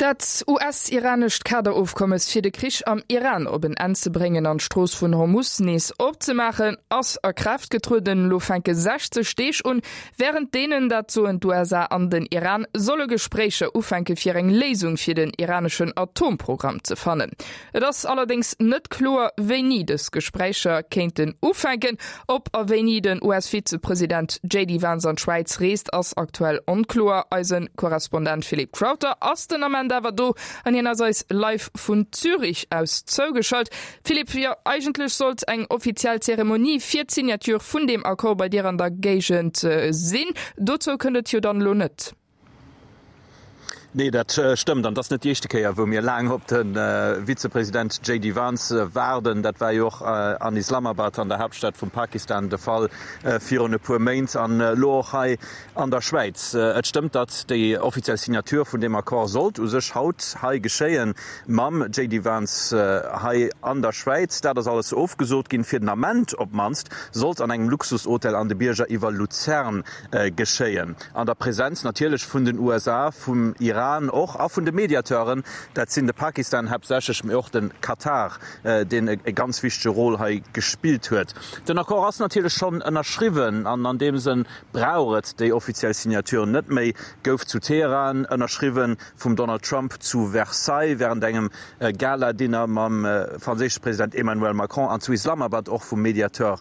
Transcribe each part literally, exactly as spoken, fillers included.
Dat U S-iranescht Kaderofkommes fir de Krich am Iran op en Enn ze bréngen an d'Strooss vun Hormus nees opzemaachen, ass a Kraaft getrueden. Elo fänke sechzeg Deeg un, wärend deenen, dat soen d'U S A an den Iran, solle Gespréicher ufänke fir eng Léisung fir den iraneschen Atomprogramm ze fannen. Et ass allerdéngs net kloer, wéini dës Gespréicher kéinten ufänken. Ob a wéini den U S-Vizepresident J D Vance an d'Schwäiz reest, ass aktuell onkloer. Eise Korrespondent Philippe Crowther ass den Ament awer do an hien ass eis live vun Zürich aus zougeschalt. Philippe, jo, eigentlech sollt eng offiziell Zeremonie fir d'Signature vun deem Accord bei dir an der Géigend sinn. Dozou kënnt et jo dann elo net. Nee, dat stëmmt an dat ass net déi éischte Kéier, wou mir laang op de Vizepresident J D Vance waarden. Dat war jo och an Islamabad, an der Haaptstad vum Pakistan, de Fall virun e puer Méint an elo och hei an der Schwäiz. Et stëmmt, datt déi offiziell Signature vun deem Accord sollt u sech haut hei geschéien mam J D Vance hei an der Schwäiz. Dat ass alles ofgesot ginn, fir den Ament op d'mannst sollt an engem Luxushotel an de Bierger iwwer Luzern geschéien. An der Presenz natierlech vun den U S A, vum Iran och a vun de Mediateuren, dat sinn de Pakistan haaptsächlech, mee och de Katar, deen e ganz wichtege Rôle hei gespillt huet. Den Accord ass natierlech schonn ënnerschriwwen an an deem Sënn brauch et déi offiziell Signature net méi. Gouf zu Teheran ënnerschriwwen vum Donald Trump, zu Versailles wärend engem Gala-Dinner mam franséische President Emmanuel Macron an zu Islamabad och vum Mediateur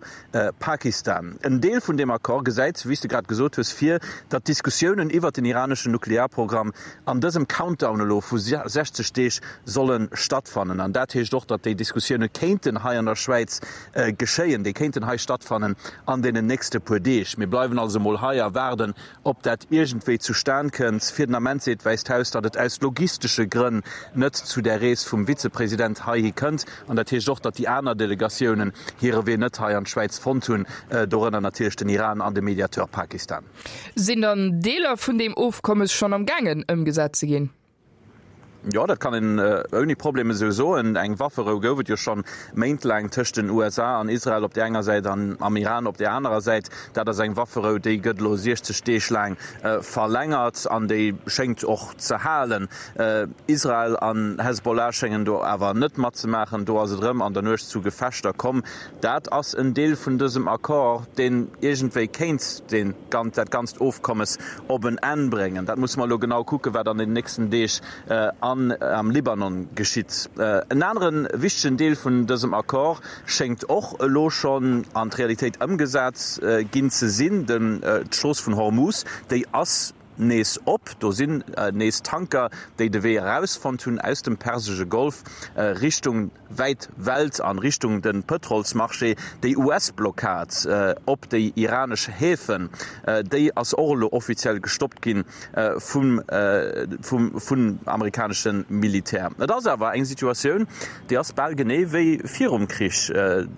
Pakistan. En Deel vun deem Accord gesäit, wéi s de grad gesot hues, vir, datt d'Diskussiounen iwwert den iraneschen Nuklearprogramm an dësem Countdown elo vu sechzeg Deeg solle stattfannen. An dat heescht och, datt déi Diskussioune kéinten hei an der Schwäiz geschéien, déi kéinten hei stattfannen an deenen nächste puer Deeg. Mir bleiwen also mol hei a waarden, ob dat iergendwéi zustan kënnt. Fir den Ament seet d'Wäisst Haus, datt et aus logistesche Grënn net zu där Rees vum Vizepresident heihi kënnt. An dat heescht och, datt déi aner Delegatiounen hire Wee net hei an d'Schwäiz fonnt hunn, dorënner natierlech den Iran an de Mediateur Pakistan. Sinn dann Deeler vun deem Ofkommes schonn am gaangen ëmgesat ze ginn? Jo, dat kann een ouni Problem esou soen. Eng Wafferou gouf et jo schonn méintlaang tëscht den U S A an Israel op där enger Säit an am Iran op där anerer Säit. Dat ass eng Wafferou, déi gëtt elo siechzeg Deeg laang verlängert an déi schéngt och ze halen. Israel an Hezbollah schéngen do awer net matzemaachen. Do ass et erëm an der Nuecht zu Gefechter komm. Dat ass en Deel vun dësem Accord, deen iergendwéi kéint deen, dat ganzt Ofkommes op en Enn bréngen. Dat musse mer elo genau kucken, wat an den nächsten Deeg an am Libanon geschitt. En anere wichtegen Deel vun dësem Accord schéngt och elo schonn an d'Realitéit ëmgesat ginn ze sinn, den d'Strooss vun Hormuz, déi ass nees op. Do sinn nees Tanker, déi de Wee erausfonnt hunn aus dem Persesche Golf Richtung wäit Welt an Richtung de Pëtrolsmarché. Déi U S-Blockad op déi iranesch Häfen, déi ass och elo offiziell gestoppt ginn vum vum vun amerikanesche Militär. Et ass awer eng Situatioun, déi ass bal genee wéi virum Krich,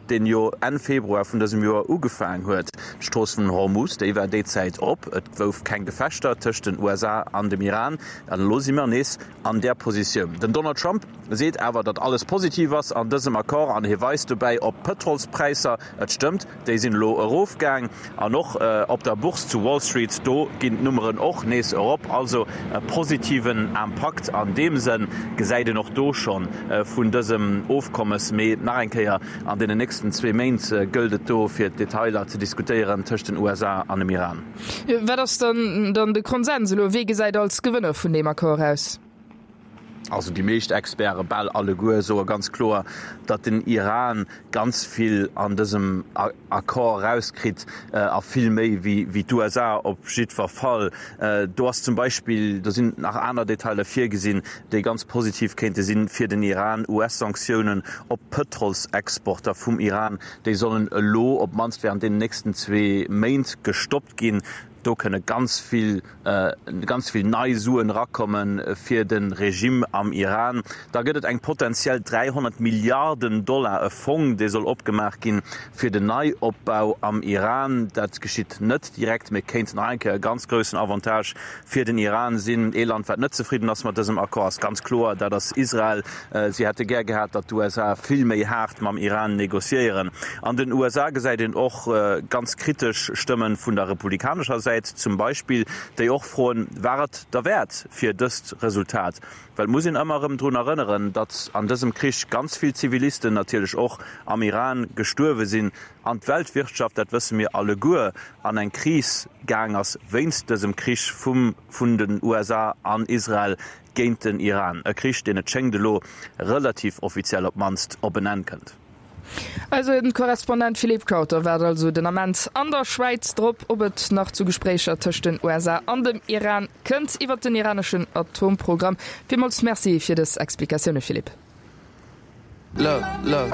deen jo Enn Februar vun dësem Joer ugefaang huet. D'Strooss vun Hormuz, déi war déi Zäit op, et gouf keng Gefechter tëscht den U S A an dem Iran, an elo si mer nees an där Positioun. Den Donald Trump seet awer, datt alles positiv ass an dësem Accord an hie weist dobäi op d'Pëtrolspräisser. Et stëmmt, déi sinn elo erofgaang an och op der Bourse zu Wall Street, do ginn d'Nummeren och nees erop. Also e positiven Impakt an deem Sënn gesäit een och do schonn vun dësem Ofkommes. Mee nach eng Kéier, an deenen nächsten zwee Méint gëllt et do fir d'Detailer ze diskutéieren tëscht den U S A an dem Iran. Wat ass dann dann de Konsens elo? Wie gesäit als Gewënner vun deem Accord aus? Also déi meescht Experte, bal alleguer, soe ganz kloer, datt den Iran ganz vill an dësem Accord erauskritt a vill méi wéi d'U S A op jiddwer Fall. Do ass zum Beispill, do sinn nach aner Detailer virgesinn, déi ganz positiv kéinte sinn fir den Iran, U S-Sanktiounen op Pëtrolsexporter vum Iran, déi sollen elo op d'mannst wärend deenen nächsten zwee Méint gestoppt ginn. Do kënne ganz vill, ganz vill nei Suen erakomme fir de Regime am Iran. Da gëtt et eng potenziell dräihonnert Milliarden Dollar e Fong, dee soll opgemaach ginn fir den Neiopbau am Iran. Dat geschitt net direkt, mee kéint nach eng Kéier e ganz groussen Avantage fir den Iran sinn. Ee Land, wat net zefridden ass mat dësem Accord, ass ganz kloer, dat ass Israel. Si hätte gär gehat, datt d'U S A vill méi haart mam Iran negociéieren. An den U S A gesäit een och ganz kritesch Stëmmen vun der republikanescher Säit zum Beispill, déi och froen, War et derwäert fir dëst Resultat? Well et muss een ëmmer erëm drun erënneren, datt an dësem Krich ganz vill Zivilisten natierlech och am Iran gestuerwe sinn an d'Weltwirtschaft, dat wësse mir alleguer, an eng Kris gaang ass wéinst dësem Krich vum vun den U S A an Israel géint den Iran. E Krich, deen et schéngt elo relativ offiziell op d'mannst op en Enn kënnt. Eise Korrespondent Philippe Crowther waart also den Ament an der Schwäiz drop, ob et nach zu Gespréicher tëscht den U S A an dem Iran kënnt iwwer den iraneschen Atomprogramm. Villmools Merci fir dës Explikatioune Philippe. Look, look.